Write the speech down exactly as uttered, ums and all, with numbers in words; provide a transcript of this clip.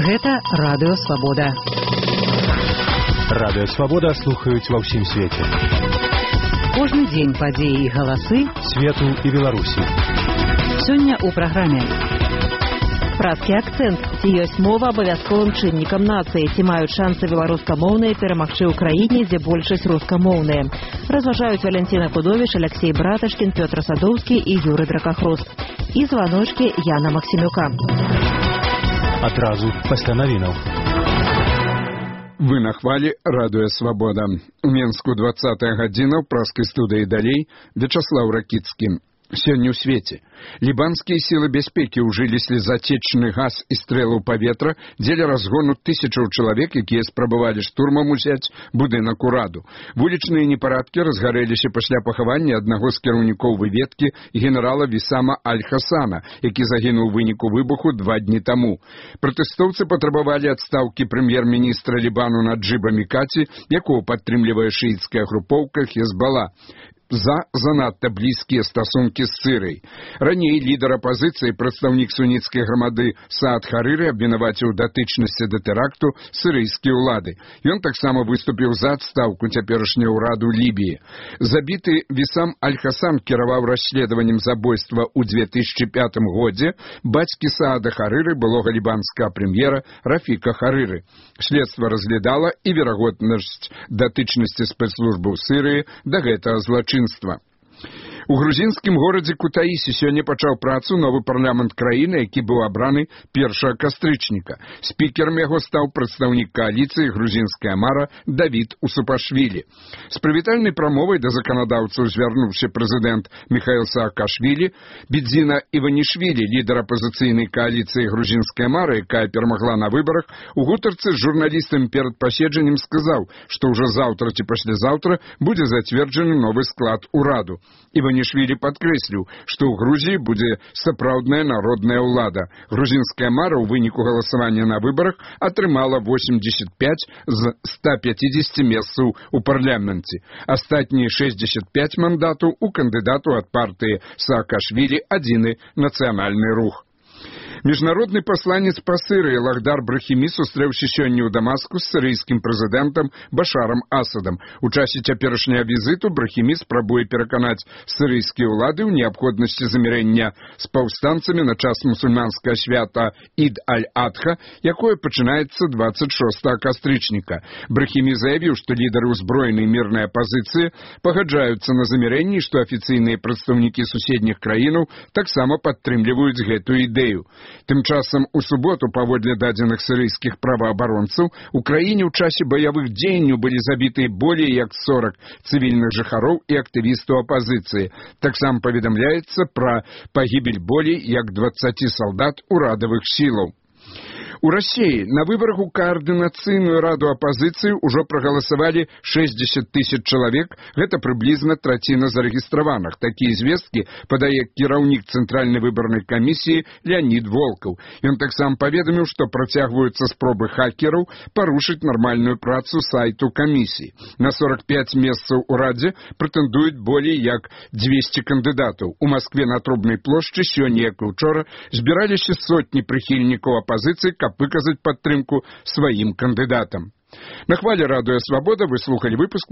Гэта Радыё Свабода. Радыё Свабода слухаюць ва ўсім свеце. Кожны дзень падзеі і галасы свету і Беларусі. Сёння ў праграме. Прадскі акцэнт. Ці ёсць мова абавязковым чыннікам нацыі? Ці маюць шансы беларускамоўныя перамагчы ў краіне, дзе большасць рускамоўныя? Разважаюць Валянціна Кудовіч, Алексей Браташкін, Пётр Садоўскі і Юры Дракахрост. І званочкі Яна Максімюка. Адразу пасля навінаў. Вы на хвалі Радыё Свабода. У Менску двадцатая гадзіна ў праскай студыі далей Вячаслаў Ракіцкі. Сёння ў свеце. Лібанскія сілы бяспекі ўжылі слезатечны газ і стрэлы ў паветра дзеля разгону тысячаў чалавек, якія спрабавалі штурмам узяць будынак ураду. Вулічныя непарадкі разгарэліся пасля пахавання аднаго з кіраўнікоў выведкі генерала Вісама Аль-Хасана, які загінуў у выніку выбуху два дні таму. Пратэстоўцы патрабавалі адстаўкі прэм'ер-міністра Лібану Наджыба Мікаці, якого падтрымлівае шыіцкая групоўка Хезбала, за занадта блізкія стасункі з Сырыяй. Раней лідар апазіцыі, прадстаўнік суніцкай грамады Саад Харыры абвінаваціў датычнасці да тэракту сырыйскія ўлады. Ён таксама выступіў за адстаўку цяперашняга ўраду Лібіі. Забіты Вісам Аль-Хасан кіраваў расследаваннем забойства ў две тысячы пятым годзе бацькі Саада Харыры, былога лібанскага прэм'ера Рафіка Харыры. Следства разглядала і верагоднасць датычнасці спецслужбаў Сырыі да гэтага злачынства. У грузінскім горадзе Кутаісі сёння пачаў працу новы парламент краіны, які быў абраны першага кастрычніка. Спікерам яго стаў прадстаўнік кааліцыі грузінская мара Давід Усупашвілі. З прывітальнай прамовай да заканадаўцаў звярнуўся прэзідэнт Міхаіл Саакашвілі. Бідзіна Іванішвілі, лідар апазіцыйнай кааліцыі грузінская мара, якая перамагла на выбарах, у гутарцы з журналістамі перад паседжаннем сказаў, што ўжо заўтра ці паслязаўтра будзе зацверджаны новы склад ураду. Іванішвілі падкрэсліў, што ў Грузіі будзе сапраўдная народная ўлада. Грузінская мара ў выніку галасавання на выбарах атрымала восемьдесят пять з ста пятидесяти месцаў у парламенце. Астатнія шестьдесят пять мандатаў у кандыдату ад партыі Саакашвілі адзіны нацыянальны рух. Міжнародны пасланец па Сырыі Лахдар Брахімі сустрэўся сёння ў Дамаску з сырыйскім прэзідэнтам Башарам Асадам. У часе цяперашняга візіту Брахімі спрабуе пераканаць сырыйскія ўлады ў неабходнасці замірэння з паўстанцамі на час мусульманскага свята Ід-аль-Адха, якое пачынаецца двадцать шостага кастрычніка. Брахімі заявіў, што лідары ўзброенай мірнай апазіцыі пагаджаюцца на замірэнні, што афіцыйныя прадстаўнікі суседніх краінаў таксама падтрымліваюць гэтую ідэю. Тым часам у суботу, паводле дадзеных сырыйскіх праваабаронцаў, у краіне ў часе баявых дзеянняў былі забітыя болей як сорок цывільных жыхароў і актывістаў апазіцыі. Таксама паведамляецца пра пагібель болей як двадцати салдат урадавых сілаў. У Расіі на выбарах у каардынацыйную раду апазіцыі ўжо прагаласавалі шестьдесят тысяч чалавек, гэта прыблізна траціна зарэгістраваных. Такія звесткі падае кіраўнік цэнтральнай выбарнай камісіі Леонід Волкаў. Ён таксама паведаміў, што працягваюцца спробы хакераў парушыць нармальную працу сайту камісіі. На сорок пять месцаў у радзе прэтэндуюць болей як двести кандыдатаў. У Маскве на Трубнай плошчы сёння, як і ўчора, збіраліся сотні прыхільнікаў апазіцыі, каб выказаць падтрымку сваім кандыдатам. На хвале Радыё Свабода вы слухалі выпуск